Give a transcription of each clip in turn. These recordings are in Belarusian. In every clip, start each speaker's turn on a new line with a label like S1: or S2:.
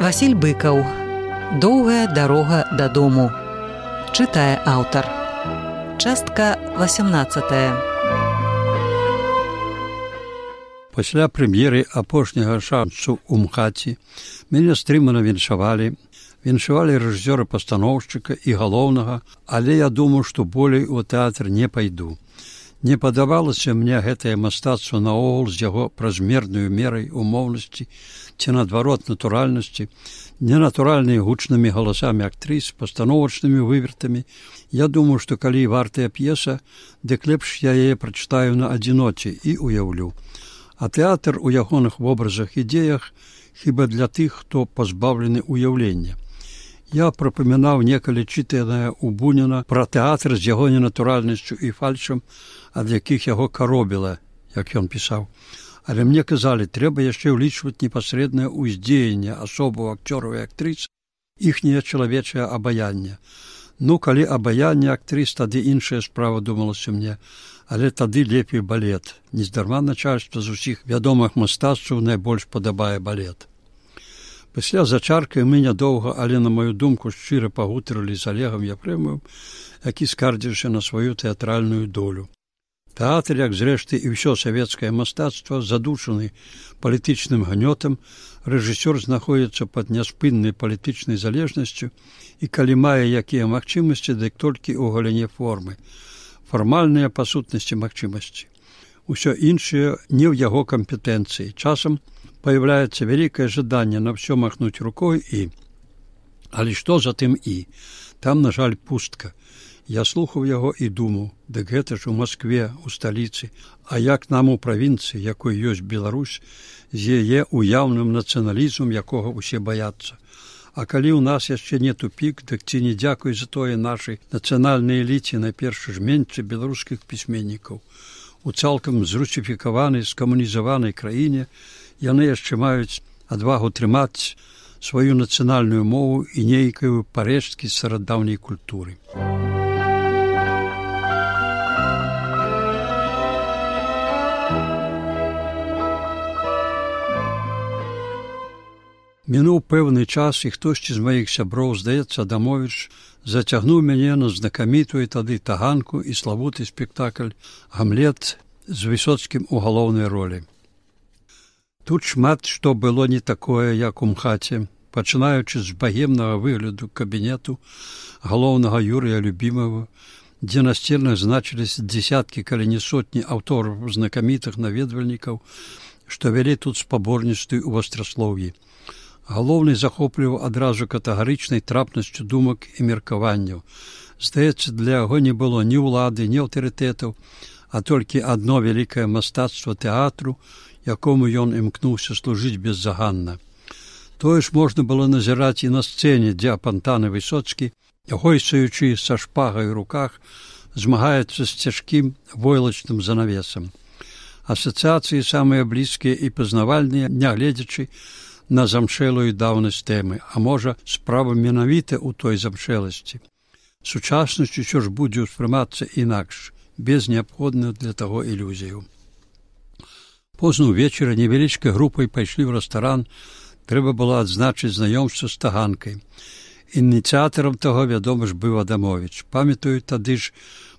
S1: Васіль Быкаў. Доўгая дарога дадому. Чытае аўтар. Частка 18.
S2: Пасля прэм'еры апошняга шансу ў МХАТе мяне стрымана віншавалі рэжысёра-пастаноўшчыка і галоўнага, але я думаў, што болей у тэатр не пайду. Не падавалася мне гэтае мастацтва наогул з яго празмернаю мерай умоўнасці ці, наадварот, натуральнасці, ненатуральнымі гучнымі галасамі актрыс, пастановачнымі вывертамі. Я думаю, што калі вартая п'еса, дык лепш я яе прачытаю на адзіноце і уяўлю. А тэатр у ягоных вобразах і дзеях хіба для тых, хто пазбаўлены ўяўлення. Я прапамінаў некалі чытанае ў Буніна пра тэатр з яго ненатуральнасцю і фальшам, ад якіх яго каробіла, як ён пісаў. Але мне казалі, трэба яшчэ ўлічваць непасрэднае ўздзеянне асобаў акцёраў і актрыс, іхняе чалавечае абаянне. Ну, калі абаянне актрыс, тады іншая справа, думалася мне, але тады лепей балет. Нездарма начальства з усіх вядомых мастацтваў найбольш падабае балет. Пасля зачаркай мы нядоўга, але, на маю думку, шчыра пагутарылі з Олегам Ефремовым, які скардзіўся на сваю тэатральную долю. Тэатр, як зрэшты і ўсё савецкае мастацтва, задушаны палітычным гнётам, рэжысёр знаходзіцца пад няспыннай палітычнай залежнасцю і калі мае якія магчымасці, дык толькі ў галіне формы. Фармальныя па сутнасці магчымасці. Усё іншае не ў яго кампетэнцыі. Часам появляецца вялікае жаданне на ўсё махнуць рукой і... Але што за тым і? Там, на жаль, пустка. Я слухаў яго і думаў, дык гэта ж у Маскве, у сталіцы, а як нам у правінцыі, якой ёсць Беларусь, з яе уяўным нацыяналізмам, якога ўсе баяцца. А калі ў нас яшчэ не тупік, дык ці не дзякуй за тое нашай нацыянальнай эліце, найперш жменьцы беларускіх пісьменнікаў. У цалкам зрусіфікаванай, скамунізаванай краіне яны яшчэ маюць адвагу трымаць сваю нацыянальную мову і нейкую парэшткі старадаўняй культуры. Мінуў пэўны час, і хтосьці з маіх сяброў, здаецца, Адамовіч, зацягнуў мяне на знакамітую тады таганку і славуты спектакль «Гамлет» з Высоцкім у галоўнай ролі. Тут шмат што было не такое, як у МХАТе, пачынаючы з багемнага выгляду кабінету галоўнага Юрыя Любімова, дзе на сценах значыліся дзесяткі, калі не сотні аўтораў знакамітых наведвальнікаў, што вялі тут спаборніцтвы ў вастраслоўі. Галоўны захопліваў адразу катэгарычнай трапнасцю думак і меркаванняў. Здаецца, для яго не было ні ўлады, ні аўтарытэтаў, а толькі адно вялікае мастацтва тэатру, якому ён імкнуўся служыць беззаганна. Тое ж можна было назіраць і на сцэне, дзе апантаны Высоцкі, гойсаючы са шпагай у руках, змагаецца з цяжкім войлачным занавесам. Асацыяцыі самыя блізкія і пазнавальныя, нягледзячы на замшэлую даўнасць тэмы, а можа, справа менавіта ў той замшэласці. Сучаснасць усё ж будзе ўспрымацца інакш, без неабходных для таго ілюзіяў. Позна ўвечары невялічкай групай пайшлі ў рэстаран, трэба было адзначыць знаёмства з таганкай. Ініцыятарам таго, вядома ж, быў Адамовіч. Памятаю, тады ж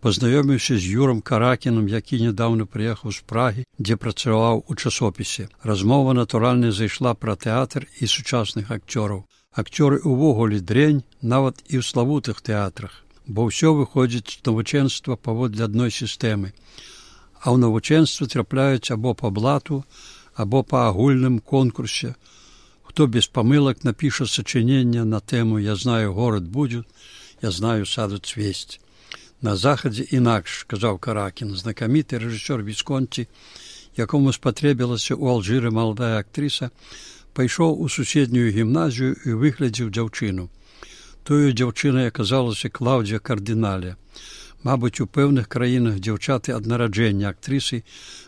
S2: пазнаёміўся з Юрам Каракінам, які нядаўна прыехаў з Прагі, дзе працаваў у часопісе. Размова, натуральна, зайшла пра тэатр і сучасных акцёраў. Акцёры ўвогуле дрэнь, нават і ў славутых тэатрах, бо ўсё выходзіць з навучэнства паводле адной сістэмы. А ў навучэнстве трапляюць або па блату, або па агульным конкурсе. Хто без памылак напіша сачыненне на тэму «Я знаю, город будет», «Я знаю, саду цвесть». На захадзе інакш, казаў Каракін, знакаміты рэжысёр Вісконці, якому спатрэбілася ў Алжыры маладая актрыса, пайшоў у суседнюю гімназію і выглядзеў дзяўчыну. Тою дзяўчынай аказалася Клаўдзія Кардынале. Мабыць, у пэўных краінах дзяўчаты ад нараджэння актрысы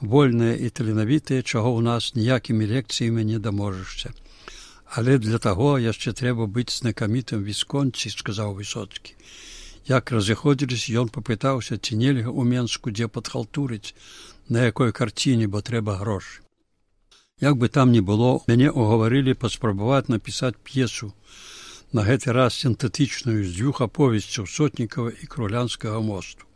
S2: вольныя і таленавітыя, чаго ў нас ніякімі лекцыямі не даможашся. Але для таго яшчэ трэба быць знакамітым Вісконці, сказаў Высоцкі. Як разыходзіліся, ён папытаўся, ці нельга ў Менску дзе падхалтурыць, на якой карціне, бо трэба грошы. Як бы там ні было, мяне угаварылі паспрабаваць напісаць п'есу, на гэты раз сінтэтычную з 2 аповесцяў Сотнікава і Крулянскага мосту.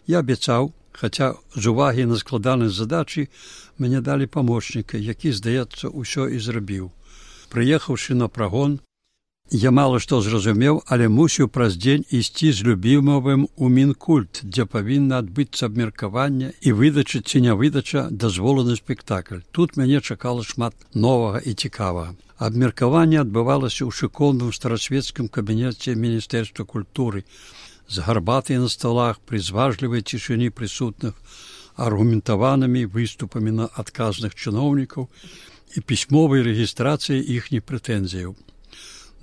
S2: Я абяцаў, хаця з увагі на складанасць задачы мяне далі памочніка, які, здаецца, усё і зрабіў. Прыехаўшы на прагон, я мала што зразумеў, але мусіў праз дзень ісці з любімовым у Мінкульт, дзе павінна адбыцца абмеркаванне і выдача ці не выдача дазволу на спектакль. Тут мяне чакала шмат новага і цікавага. Абмеркаванне адбывалася ў шыкоўным старасвецкім кабінеце Міністэрства культуры, з гарбатай на сталах, пры зважлівай цішыні прысутных, аргументаванымі выступамі на адказных чыноўнікаў і пісьмовай рэгістрацыяй іхніх прэтэнзіяў.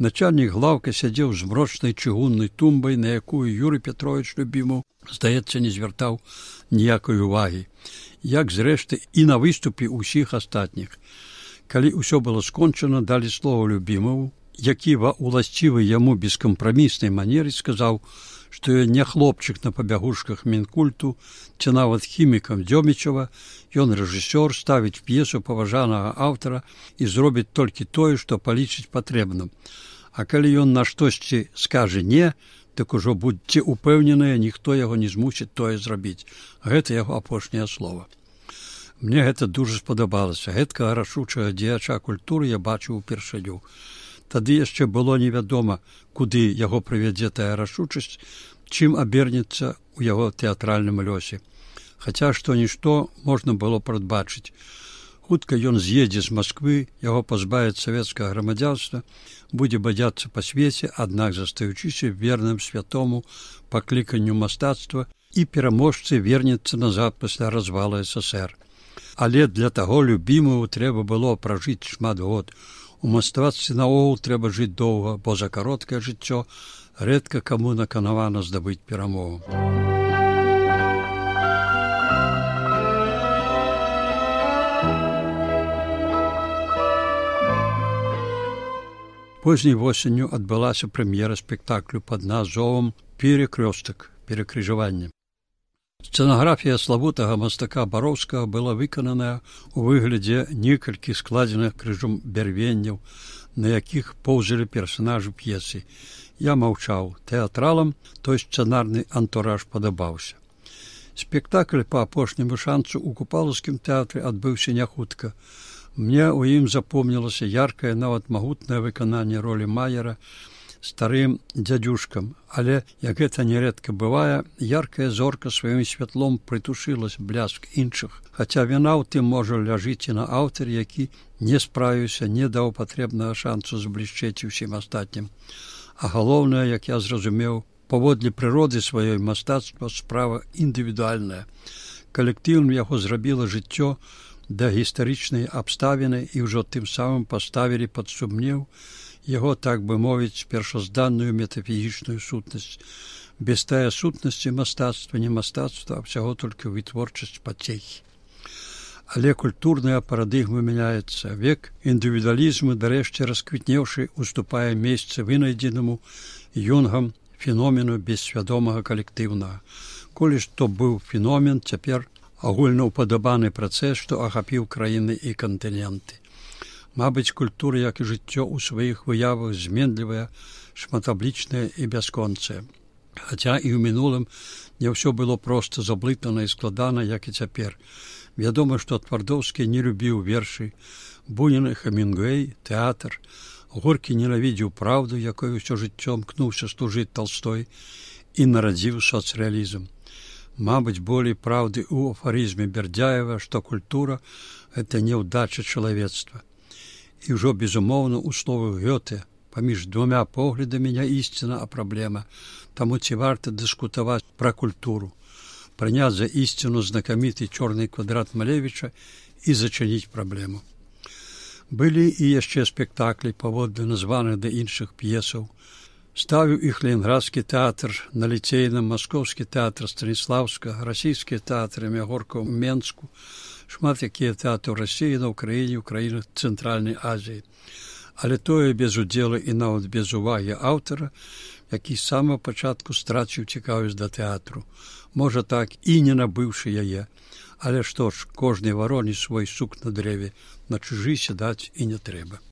S2: Начальнік глаўка сядзеў з мрочнай чыгуннай тумбай, на якую Юрый Петрович Любімаў, здаецца, не звяртаў ніякай увагі, як, зрэшты, і на выступе ўсіх астатніх. Калі ўсё было скончана, далі слова Любімаву, які ва ўласцівай яму бескампраміснай манеры сказаў, што ён не хлопчык на пабягушках Мінкульту, ці нават хімікам Дзёмічава, ён рэжысёр, ставіць п'есу паважанага аўтара і зробіць толькі тое, што палічыць патрэбным. А калі ён на штосьці скажа «не», так ужо будьце упэўненыя, ніхто яго не змусіць тое зрабіць. Гэта яго апошняе слова. Мне гэта дужа спадабалася. Гэткага рашучага дзеяча культуры я бачыў упершыню. Тады яшчэ было невядома, куды яго прывядзе тая рашучасць, чым абернецца ў яго тэатральным лёсе. Хаця што-нішто можна было прадбачыць. Хутка ён з'едзе з Масквы, яго пазбавяць савецкага грамадзянства, будзе бадзяцца па свеце, аднак застаючыся верным святому пакліканню мастацтва і пераможцы вернецца назад пасля развала СССР. Але для таго Любімаву трэба было пражыць шмат год. У мастацтве наогул трэба жыць доўга, бо за кароткае жыццё рэдка каму наканавана здабыць перамогу. Позняй восенню адбылася прэм'ера спектаклю пад назвом «Перекрёстак» – «Перекрыжаванне». Сцэнаграфія славутага мастака Бароўскага была выкананая ў выглядзе некалькі складзеных крыжом бярвенняў, на якіх поўзалі персанажы п'есы. Я маўчаў. Тэатралам той сцэнарны антураж падабаўся. Спектакль па апошняму шанцу ў Купалаўскім тэатры адбыўся няхутка. Мне ў ім запомнілася яркае, нават магутнае выкананне ролі Маера старым дзядзюшкам, але, як гэта нярэдка бывае, яркая зорка сваім святлом прытушылась бляск іншых, хаця віна ў тым можа ляжыць і на аўтар, які не справіўся, не даў патрэбнага шансу зблішчэць усім астатнім. А галоўнае, як я зразумеў, паводле прыроды сваёй мастацтва справа індывідуальная. Калектыўным яго зрабіла жыццё да гістарычнай абставіны і ўжо тым самым паставілі пад сумнеў яго, так бы мовіць, першазданную метафізічную сутнасць. Без тая сутнасці мастацтва не мастацтва, а ўсяго толькі вытворчасць пацехі. Але культурная парадыгма мяняецца. Век індывідуалізму, дарэшце расквітнеўшы, уступае месца вынайдзенаму Юнгам феномену бессвядомага калектыўнага. Колі што быў феномен, цяпер агульнаўпадабаны працэс, што ахапіў краіны і кантыненты. Мабыць, культура, як і жыццё ў сваіх выявах зменлівая, шматаблічная і бясконцая. Хаця і ў мінулым не ўсё было проста заблытана і складана, як і цяпер. Вядома, што Твардоўскі не любіў вершы, Бунін і Хемінгуэй, тэатр, Горкі ненавідзеў праўду, якой усё жыццё мкнуўся служыць Талстой, і нарадзіў сацрэалізм. Мабыць, болей праўды ў афарызме Бердзяева, што культура – гэта няўдача чалавецтва. І ўжо, безумоўна, у словах Гёте, паміж двума поглядамі не ісціна, а праблема. Таму ці варта дыскутаваць пра культуру, прыняць за ісціну знакаміты чорны квадрат Малевіча і зачыніць праблему. Былі і яшчэ спектаклі паводле названых да іншых п'есаў. Ставіў іх Ленінградскі тэатр на Ліцейным, Маскоўскі тэатр Станіслаўскага, расійскія тэатры Мягорка ў Менску, шмат якія тэатры ў Расіі, на Ўкраіне, ў краінах Цэнтральнай Азіі. Але тое без удзелу і нават без увагі аўтара, які з самага пачатку страціў цікавасць да тэатру. Можа так і не набыўшы яе, Але што ж, кожнай вароне свой сук на дрэве, на чужы сядаць і не трэба.